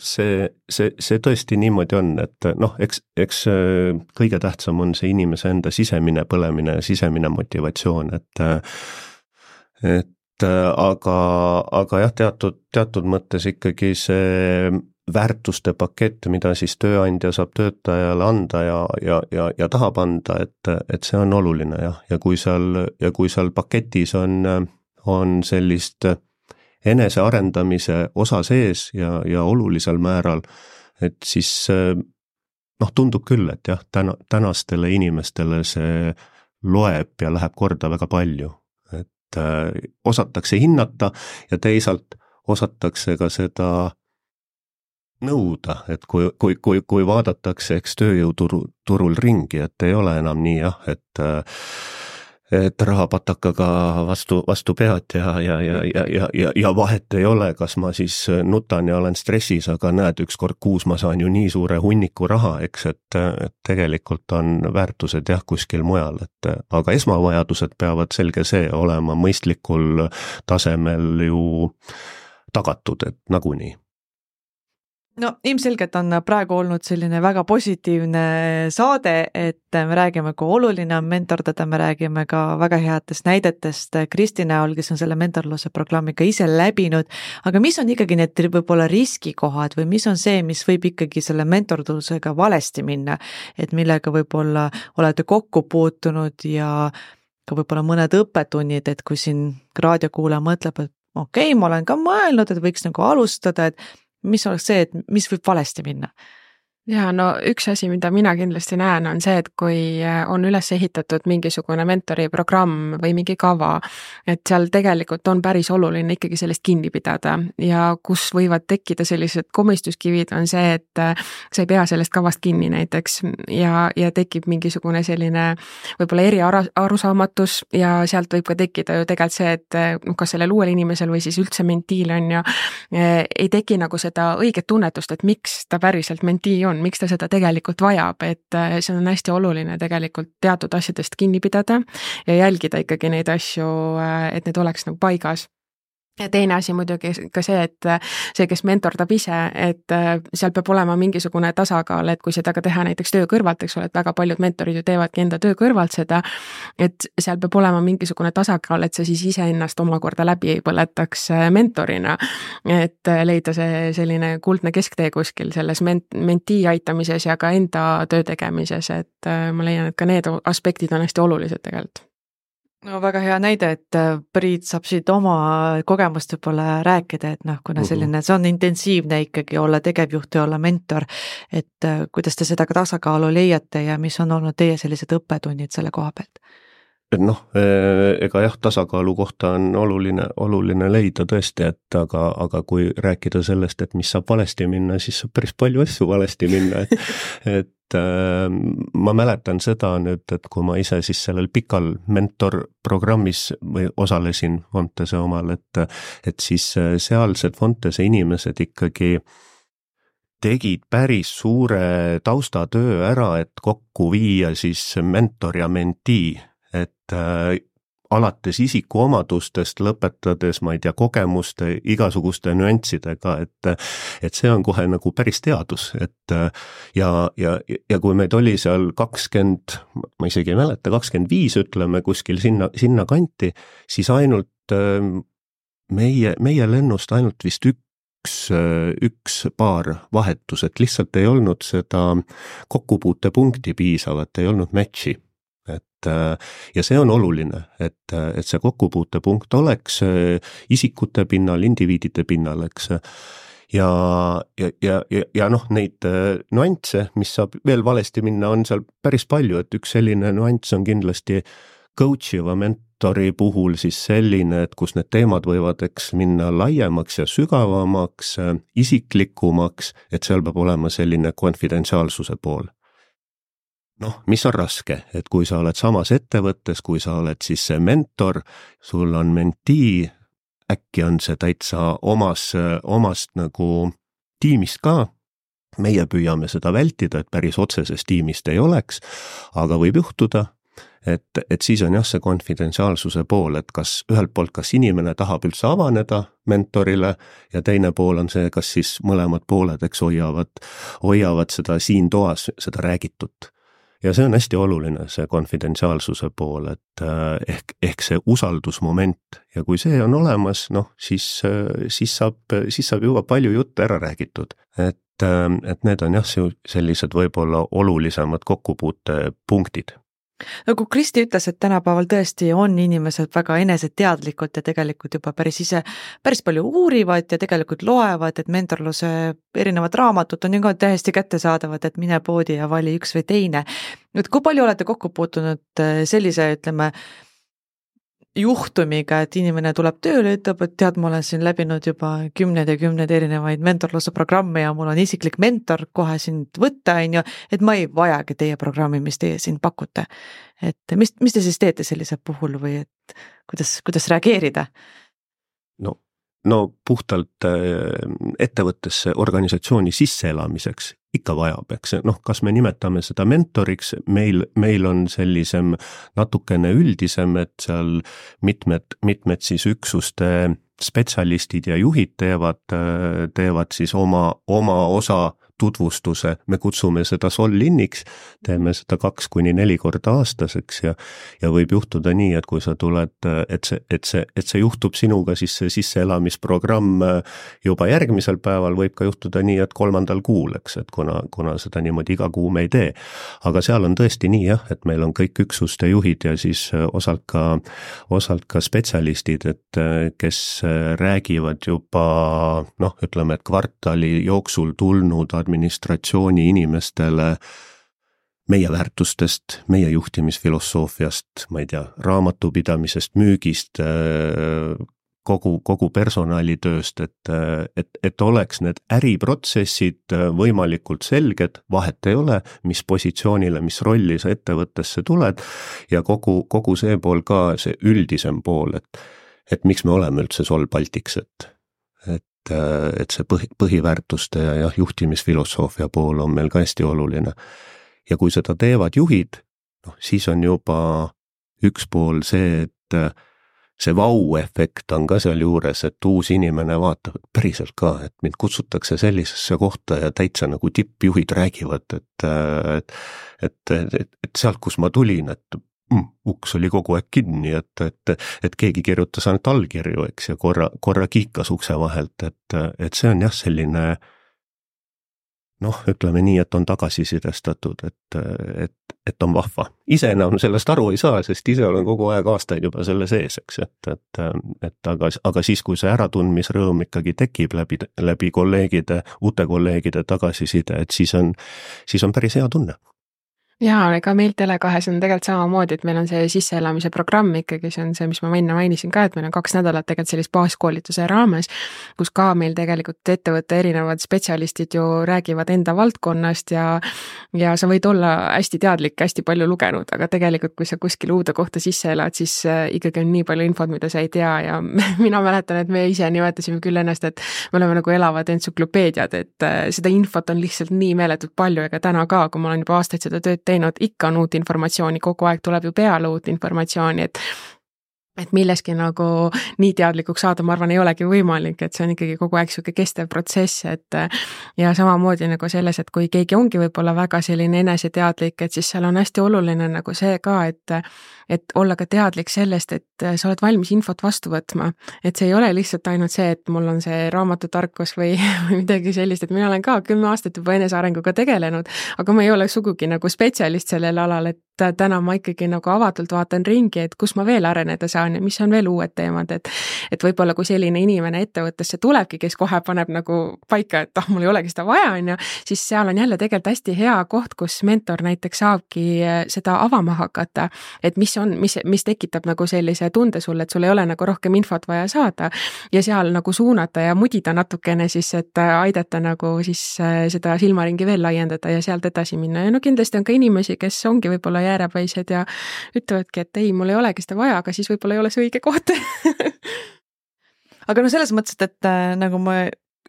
see tõesti niimoodi on, et noh, eks kõige tähtsam on see inimese enda sisemine põlemine ja sisemine motivatsioon, et aga jah, teatud mõttes ikkagi see väärtuste pakett, mida siis tööandja saab töötajale anda ja tahab anda, et see on oluline jah, ja kui seal paketis on sellist enesearendamise osa sees ja olulisel määral, et siis noh, tundub küll, et jah, tänastele inimestele see loeb ja läheb korda väga palju, et osatakse hinnata ja teisalt osatakse ka seda nõuda, et kui vaadatakse, eks tööjõuturul ringi, et ei ole enam nii jah, et rahapatakaga vastu pead ja vahet ei ole, kas ma siis nutan ja olen stressis, aga näed, ükskord kuus ma saan ju nii suure hunniku raha, eks, et tegelikult on väärtused jah kuskil mujal, aga esmavajadused peavad selge see olema mõistlikul tasemel ju tagatud, et nagunii. No ilmselgelt on praegu olnud selline väga positiivne saade, et me räägime, kui oluline on mentordada, me räägime ka väga headest näidetest Kristi näol, kes on selle mentorluse programmiga ise läbinud, aga mis on ikkagi need võib-olla riskikohad või mis on see, mis võib ikkagi selle mentorlusega valesti minna, et millega võib-olla olete kokku puutunud ja ka võib-olla mõned õppetunnid, et kui siin raadiokuulaja mõtleb, et okei, ma olen ka mõelnud, et võiks nagu alustada, et mis oleks see, et mis võib valesti minna? Ja no üks asi, mida mina kindlasti näen, on see, et kui on üles ehitatud mingisugune mentori programm või mingi kava, et seal tegelikult on päris oluline ikkagi sellest kinni pidada ja kus võivad tekkida sellised komistuskivid, on see, et sa ei pea sellest kavast kinni näiteks ja tekib mingisugune selline võib-olla eriarusaamatus ja sealt võib ka tekkida ju tegelikult see, et kas sellel uuel inimesel või siis üldse mentiil on ju, ei teki nagu seda õiget tunnetust, et miks ta päriselt mentii on, miks ta seda tegelikult vajab, et see on hästi oluline tegelikult teatud asjadest kinni pidada ja jälgida ikkagi neid asju, et need oleks nagu paigas. Ja teine asi muidugi ka see, et see, kes mentordab ise, et seal peab olema mingisugune tasakaal, et kui seda ka teha näiteks töö kõrvalt, eks ole, et väga paljud mentorid ju teevadki enda töö kõrvalt seda, et seal peab olema mingisugune tasakaal, et sa siis iseennast omakorda läbi ei põletaks mentorina, et leida see selline kuldne kesktee kuskil selles mentii aitamises ja ka enda töö tegemises, et ma leian, et ka need aspektid on hästi olulised tegelikult. No väga hea näide, et Priit saab siit oma kogemust võib-olla rääkida, et noh, kuna selline, see on intensiivne ikkagi olla tegevjuht ja olla mentor, et kuidas te seda ka tasakaalu leiate ja mis on olnud teie sellised õppetunnid selle koha pealt? Noh, ega jah, tasakaalu kohta on oluline leida tõesti, et aga kui rääkida sellest, et mis saab valesti minna, siis saab päris palju asju valesti minna, et ma mäletan seda nüüd, et kui ma ise siis sellel pikal mentorprogrammis või osalesin Fontese omal, et siis sealsed Fontese inimesed ikkagi tegid päris suure taustatöö ära, et kokku viia siis mentor ja mentii, et alates isikuomadustest, lõpetades, ma ei tea, kogemuste, igasuguste nüanssidega, et see on kohe nagu päris teadus, et ja kui meid oli seal 20, ma isegi ei mäleta, 25 ütleme kuskil sinna kanti, siis ainult meie lennust ainult vist üks paar vahetus, et lihtsalt ei olnud seda kokkupuutepunkti piisavat, ei olnud matchi. Ja see on oluline, et see kokkupuutepunkt oleks isikute pinnal, indiviidide pinnal, eks. Ja noh, neid nüansse, mis saab veel valesti minna, on seal päris palju, et üks selline nüanss on kindlasti coach'iva mentori puhul siis selline, et kus need teemad võivad eks minna laiemaks ja sügavamaks, isiklikumaks, et seal peab olema selline konfidentsiaalsuse pool. Noh, mis on raske, et kui sa oled samas ettevõttes, kui sa oled siis see mentor, sul on mentii, äkki on see täitsa omast nagu tiimist ka, meie püüame seda vältida, et päris otsesest tiimist ei oleks, aga võib juhtuda, et siis on jah see konfidentsiaalsuse pool, et kas ühelt poolt, kas inimene tahab üldse avaneda mentorile ja teine pool on see, kas siis mõlemad pooled, eks hoiavad seda siin toas, seda räägitut. Ja see on hästi oluline, see konfidentsiaalsuse pool, et ehk see usaldusmoment ja kui see on olemas, noh, siis saab juba palju jutte ära räägitud, et need on jah sellised võib-olla olulisemad kokkupuutepunktid. Nagu Kristi ütles, et tänapäeval tõesti on inimesed väga eneseteadlikud ja tegelikult juba päris palju uurivad ja tegelikult loevad, et mentorluse erinevad raamatud on ju ka täiesti kättesaadavad, et mine poodi ja vali üks või teine. Nüüd, kui palju olete kokku puutunud sellise, ütleme, juhtumiga, et inimene tuleb tööle, ütleb, et tead, ma olen siin läbinud juba kümneid erinevaid mentorluse programme ja mul on isiklik mentor kohe sind võtta, et ma ei vajagi teie programmi, mis teie siin pakute. Et mis te siis teete sellise puhul või et kuidas reageerida? No puhtalt ettevõttesse organisatsiooni sisseelamiseks ikka vajab, eks kas me nimetame seda mentoriks, meil on sellisem natukene üldisem, et seal mitmed siis üksuste spetsialistid ja juhid teevad siis oma osa tutvustuse, me kutsume seda Sol-Inniks, teeme seda 2-4 korda aastaseks ja võib juhtuda nii, et kui sa tuled, et see juhtub sinuga, siis see sisseelamisprogramm juba järgmisel päeval võib ka juhtuda nii, et 3. kuul, eks, et kuna seda niimoodi iga kuu me ei tee. Aga seal on tõesti nii jah, et meil on kõik üksuste juhid ja siis osalt ka spetsialistid, et kes räägivad juba, ütleme, et kvartali jooksul tulnud administratsiooni inimestele meie väärtustest, meie juhtimisfilosoofiast, ma ei tea, raamatupidamisest, müügist, kogu personalitööst, et oleks need äriprotsessid võimalikult selged, vahet ei ole, mis positsioonile, mis rolli sa ettevõttesse tuled ja kogu see pool ka, see üldisem pool, et miks me oleme üldse Sol Baltics, et see põhiväärtuste ja juhtimisfilosoofia pool on meil ka hästi oluline. Ja kui seda teevad juhid, siis on juba üks pool see, et see vau-efekt on ka seal juures, et uus inimene vaatab päriselt ka, et mind kutsutakse sellisesse kohta ja täitsa nagu tippjuhid räägivad, et sealt, kus ma tulin, et uks oli kogu aeg kinni, et keegi kirjutas ainult allkirju, eks, ja korra kiikas ukse vahelt, et see on jah selline, ütleme nii, et on tagasisidestatud, et on vahva. Ise enam sellest aru ei saa, sest ise olen kogu aeg aastaid juba selle sees, eks, aga siis, kui see äratundmisrõõm ikkagi tekib läbi kolleegide, uute kolleegide tagasiside, et siis on päris hea tunne. Jaa, ega meil Tele2 on tegelikult samamoodi, et meil on see sisseelamise programm ikkagi, see on see, mis ma enne mainisin ka, et meil on 2 nädalat tegelikult sellist baaskoolituse raames, kus ka meil tegelikult ettevõtte erinevad spetsialistid ju räägivad enda valdkonnast ja sa võid olla hästi teadlik, hästi palju lugenud, aga tegelikult kui sa kuskil uude kohta sisse elad, siis ikkagi on nii palju infot, mida sa ei tea ja mina mäletan, et me ise nimetasime küll ennast, et me oleme nagu elavad entsüklopeediad, et seda infot on lihtsalt nii meeletult palju, ega täna ka, kui ma olen juba aastaid seda tööd teinud, ikka on uut informatsiooni, kogu aeg tuleb ju peale uut informatsiooni, et milleski nagu nii teadlikuks saada, ma arvan, ei olegi võimalik, et see on ikkagi kogu aeg selline kestev protsess, et ja samamoodi nagu selles, et kui keegi ongi võib-olla väga selline eneseteadlik, et siis seal on hästi oluline nagu see ka, et olla ka teadlik sellest, et sa oled valmis infot vastu võtma, et see ei ole lihtsalt ainult see, et mul on see raamatutarkus või midagi sellist, et mina olen ka 10 aastat juba enesearenguga tegelenud, aga ma ei ole sugugi nagu spetsialist sellel alal, et täna ma ikkagi nagu avatult vaatan ringi, et kus ma veel areneda saan saan ja mis on veel uued teemad, et võib-olla kui selline inimene ettevõttesse tulebki, kes kohe paneb nagu paika, et mul ei olegi seda vaja, on ju, siis seal on jälle tegelikult hästi hea koht, kus mentor näiteks saabki seda avama hakata, et mis tekitab nagu sellise tunde sulle, et sul ei ole nagu rohkem infot vaja saada ja seal nagu suunata ja mudida natukene siis, et aidata nagu siis seda silmaringi veel laiendada ja sealt edasi minna. Ja no kindlasti on ka inimesi, kes ongi võib-olla jäärapäised ja ütlevadki, et ei, mul ei olegi seda vaja, aga siis võib-olla ei ole see õige koht. Aga no selles mõttes, et nagu ma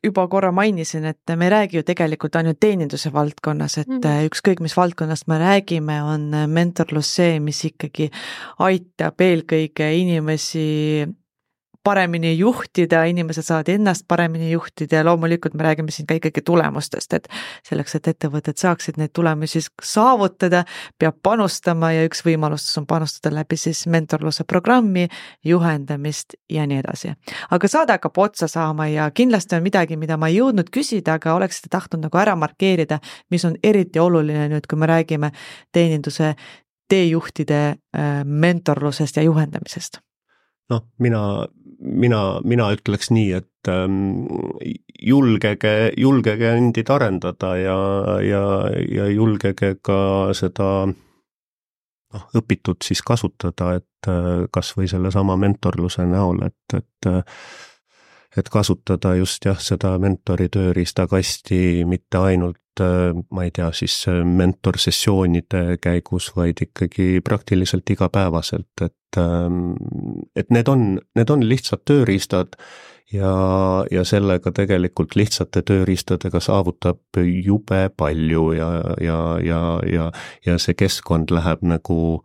juba korra mainisin, et me ei räägi ju tegelikult ainult teeninduse valdkonnas, et ükskõik mis valdkonnast me räägime, on mentorlus see, mis ikkagi aitab eelkõige inimesi paremini juhtida, inimesed saavad ennast paremini juhtida ja loomulikult me räägime siin ka ikkagi tulemustest, et selleks, et ettevõtted saaksid neid tulemusi saavutada, peab panustama ja üks võimalus on panustada läbi siis mentorluse programmi, juhendamist ja nii edasi. Aga saade hakkab otsa saama ja kindlasti on midagi, mida ma ei jõudnud küsida, aga oleksite tahtnud nagu ära markeerida, mis on eriti oluline nüüd, kui me räägime teeninduse teejuhtide mentorlusest ja juhendamisest. Noh, mina ütleks nii, et julgege endid arendada ja julgege ka seda õpitud siis kasutada, et kas või selle sama mentorluse näol, et kasutada just seda mentori tööriistakasti mitte ainult, ma ei tea, siis mentorsessioonide käigus, vaid ikkagi praktiliselt igapäevaselt, et need on lihtsad tööriistad ja sellega tegelikult lihtsate tööriistadega saavutab jube palju ja see keskkond läheb nagu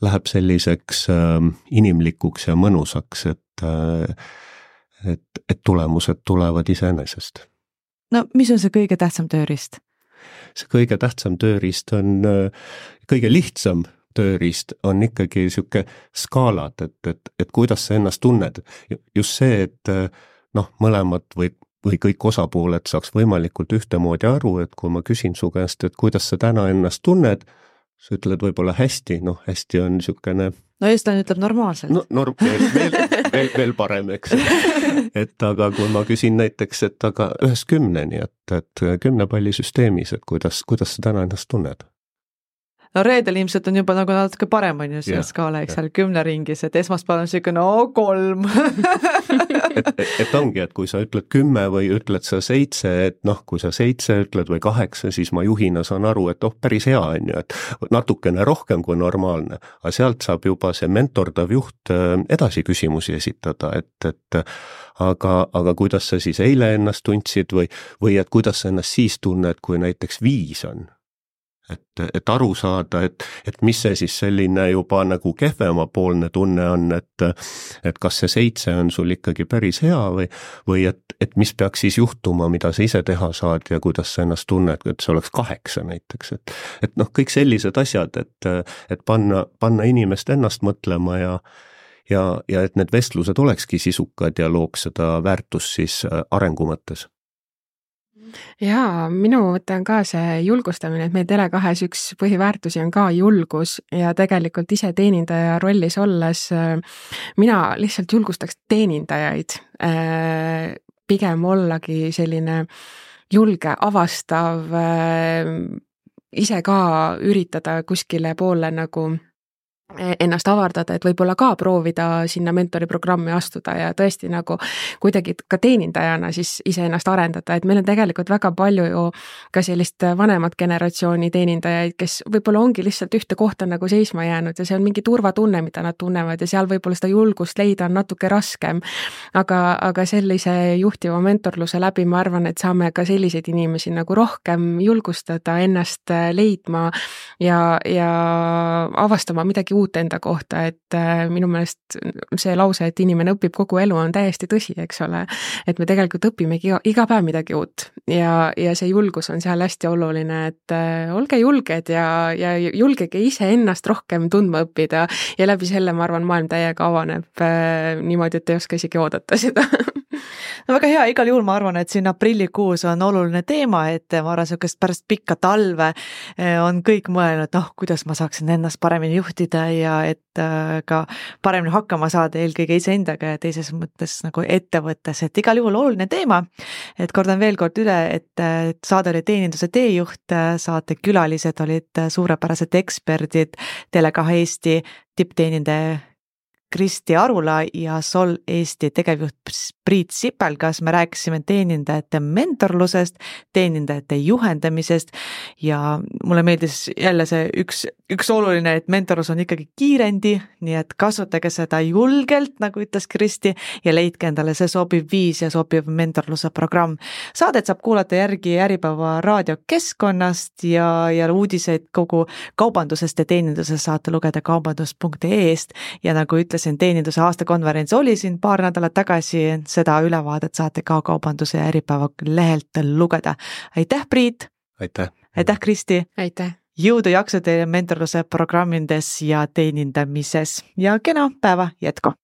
läheb selliseks inimlikuks ja mõnusaks, et tulemused tulevad iseenesest. No mis on see kõige tähtsam tööriist? See kõige tähtsam tööriist on, kõige lihtsam tööriist on ikkagi siuke skaalad, et kuidas sa ennast tunned. Just see, et mõlemad või kõik osapooled saaks võimalikult ühtemoodi aru, et kui ma küsin su käest, et kuidas sa täna ennast tunned, sa ütled võib-olla hästi, hästi on siukene... No eestlane ütleb normaalselt. Veel parem, eks. Et aga kui ma küsin näiteks, et aga 1-10, et 10 pallisüsteemis, et kuidas sa täna ennast tunned? No reedel ilmselt on juba nagu natuke parem on ju see skaala, eks seal 10 ringis, et esmaspäeval on siuke 3. et ongi, et kui sa ütled 10 või ütled sa 7, et kui sa 7 ütled või 8, siis ma juhina saan aru, et päris hea on ju, et natukene rohkem kui normaalne, aga sealt saab juba see mentordav juht edasi küsimusi esitada, et aga kuidas sa siis eile ennast tundsid või et kuidas sa ennast siis tunned, kui näiteks 5 on. Et aru saada, et mis see siis selline juba nagu kehvemapoolne tunne on, et kas see 7 on sul ikkagi päris hea või et mis peaks siis juhtuma, mida sa ise teha saad ja kuidas sa ennast tunned, et see oleks 8 näiteks, et kõik sellised asjad, et panna inimest ennast mõtlema ja et need vestlused olekski sisukad ja looks seda väärtust siis arengu mõttes. Jaa, minu mõte on ka see julgustamine, et meil Tele2 üks põhiväärtusi on ka julgus ja tegelikult ise teenindaja rollis olles mina lihtsalt julgustaks teenindajaid pigem ollagi selline julge, avastav, ise ka üritada kuskile poole nagu ennast avardada, et võib-olla ka proovida sinna mentoriprogrammi astuda ja tõesti nagu kuidagi ka teenindajana siis ise ennast arendada, et meil on tegelikult väga palju ju ka sellist vanemat generatsiooni teenindajaid, kes võib-olla ongi lihtsalt ühte kohta nagu seisma jäänud ja see on mingi turvatunne, mida nad tunnevad ja seal võib-olla seda julgust leida on natuke raskem, aga sellise juhtiva mentorluse läbi ma arvan, et saame ka selliseid inimesi nagu rohkem julgustada ennast leidma ja avastama midagi uut enda kohta, et minu meelest see lause, et inimene õpib kogu elu on täiesti tõsi, eks ole, et me tegelikult õpimegi iga päev midagi uut ja see julgus on seal hästi oluline, et olge julged ja julgege ise ennast rohkem tundma õppida ja läbi selle, ma arvan, maailm täiega avaneb niimoodi, et ei oska isegi oodata seda. no väga hea, igal juhul ma arvan, et siin aprillikuus on oluline teema, et ma arvan, sihukest pärast pikka talve on kõik mõelnud, kuidas ma saaksin ennast paremini juhtida ja et ka paremini hakkama saada eelkõige iseendaga ja teises mõttes nagu ettevõttes, et igal juhul oluline teema. Et kordan veel kord üle, et saade oli teeninduse teejuht, saate külalised olid suurepärased eksperdid, Tele2 Eesti tippteenindaja Kristi Arula ja Sol Eesti tegevjuht Priit Sipelgas. Me rääkisime teenindajate mentorlusest, teenindajate juhendamisest ja mulle meeldis jälle see üks oluline, et mentorlus on ikkagi kiirendi, nii et kasutage seda julgelt, nagu ütles Kristi, ja leidke endale see sobiv viis ja sobiv mentorluse programm. Saadet saab kuulata järgi Äripäeva raadiokeskkonnast ja uudiseid kogu kaubandusest ja teenindusest saate lugeda kaubandus.ee-st ja nagu ütlesin, teeninduse aastakonverents oli siin paar nädalat tagasi, seda ülevaadet saate ka kaubanduse ja Äripäeva lehelt lugeda. Aitäh, Priit! Aitäh, Kristi! Aitäh! Jõudu jaksu teile mentorluse programmides ja teenindamises ja kena päeva jätku!